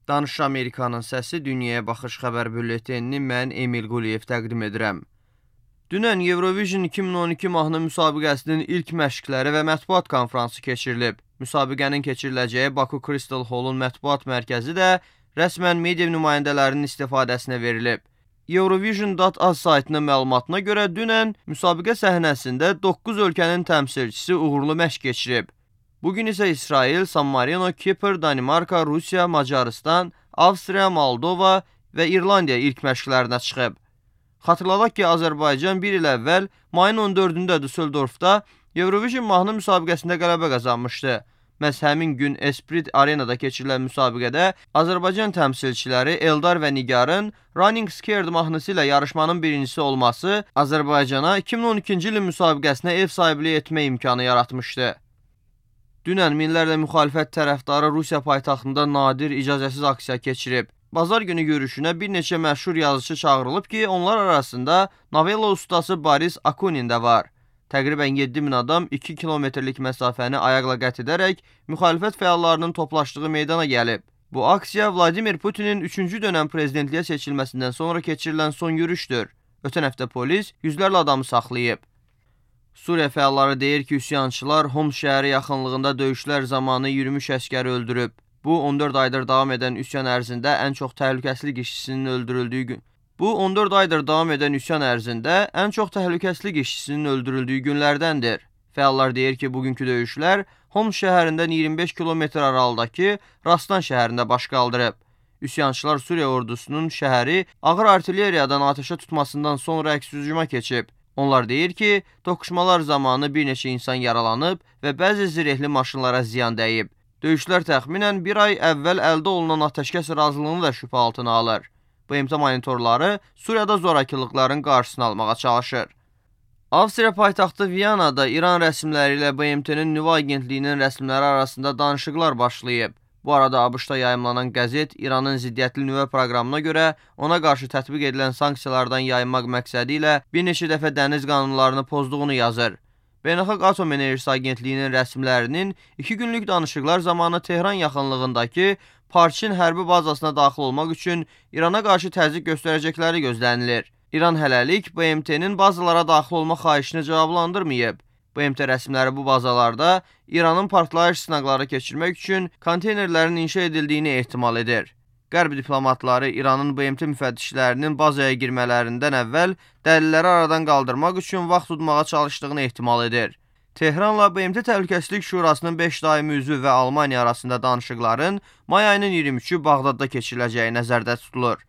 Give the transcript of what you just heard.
Danış Amerikanın səsi Dünyaya Baxış xəbər bülletenini mən Emil Quliyev təqdim edirəm. Dünən Eurovision 2012 mahnı müsabiqəsinin ilk məşqləri və mətbuat konfransı keçirilib. Müsabiqənin keçiriləcəyi Baku Crystal Hall'un mətbuat mərkəzi də rəsmən media nümayəndələrinin istifadəsinə verilib. Eurovision.az saytının məlumatına görə dünən müsabiqə səhnəsində 9 ölkənin təmsilçisi uğurlu məşq keçirib. Bugün isə İsrail, San Marino, Kipr, Danimarka, Rusiya, Macaristan, Avstriya, Moldova və İrlandiya ilk məşqlərinə çıxıb. Xatırladaq ki, Azərbaycan bir il əvvəl mayın 14-də Düsseldorfda Eurovision mahnı müsabiqəsində qələbə qazanmışdı. Məhz həmin gün Esprit Arenada keçirilən müsabiqədə Azərbaycan təmsilçiləri Eldar və Nigarın Running Scared mahnısı ilə yarışmanın birincisi olması Azərbaycana 2012-ci ilin müsabiqəsinə ev sahibliyi etmə imkanı yaratmışdı. Dünən minlərlə müxalifət tərəfdarı Rusiya paytaxtında nadir icazəsiz aksiya keçirib. Bazar günü görüşünə bir neçə məşhur yazıçı çağırılıb ki, onlar arasında novella ustası Boris Akunin də var. Təqribən 7000 adam 2 kilometrlik məsafəni ayaqla qət edərək müxalifət fəallarının toplaşdığı meydana gəlib. Bu aksiya Vladimir Putinin 3-cü dönəm prezidentliyə seçilməsindən sonra keçirilən son yürüşdür. Ötən həftə polis yüzlərlə adamı saxlayıb. Suriya fəalları deyir ki, üsyançılar Homs şəhəri yaxınlığında döyüşlər zamanı 23 əskəri öldürüb. Bu 14 aydır davam edən üsyan ərzində ən çox təhlükəsizlik işçisinin öldürüldüyü günlərdəndir. Fəallar deyir ki, bugünkü döyüşlər Homs şəhərindən 25 kilometr aralıdakı Rastan şəhərində baş qaldırıb. Üsyançılar Suriya ordusunun şəhəri ağır artilleriyadan atəşə tutmasından sonra əks hücuma keçib. Onlar deyir ki, toqquşmalar zamanı bir neçə insan yaralanıb və bəzi zirehli maşınlara ziyan dəyib. Döyüşlər təxminən bir ay əvvəl əldə olunan atəşkəs razılığını da şübhə altına alır. BMT monitorları Suriyada zorakılıqların qarşısını almağa çalışır. Avstriya paytaxtı Viyanada İran rəsmiləri ilə BMT-nin nüvə agentliyinin rəsmiləri arasında danışıqlar başlayıb. Bu arada ABŞ-da yayımlanan qəzet İranın ziddiyyətli nüvə proqramına görə ona qarşı tətbiq edilən sanksiyalardan yayınmaq məqsədi ilə bir neçə dəfə dəniz qanunlarını pozduğunu yazır. Beynəlxalq Atom Enerjisi Agentliyinin rəsmilərinin 2 günlük danışıqlar zamanı Tehran yaxınlığındakı Parçin hərbi bazasına daxil olmaq üçün İrana qarşı təzyiq göstərəcəkləri gözlənilir. İran hələlik BMT-nin bazalara daxil olma xahişini cavablandırmayıb. BMT rəsmiləri bu bazalarda İranın partlayış sınaqları keçirmək üçün konteynerlərin inşa edildiyini ehtimal edir. Qərb diplomatları İranın BMT müfəttişlərinin bazaya girmələrindən əvvəl dəlilləri aradan qaldırmaq üçün vaxt tutmağa çalışdığını ehtimal edir. Tehranla BMT Təhlükəsizlik Şurasının 5 daimi üzvü və Almaniya arasında danışıqların may ayının 23-ü Bağdadda keçiriləcəyi nəzərdə tutulur.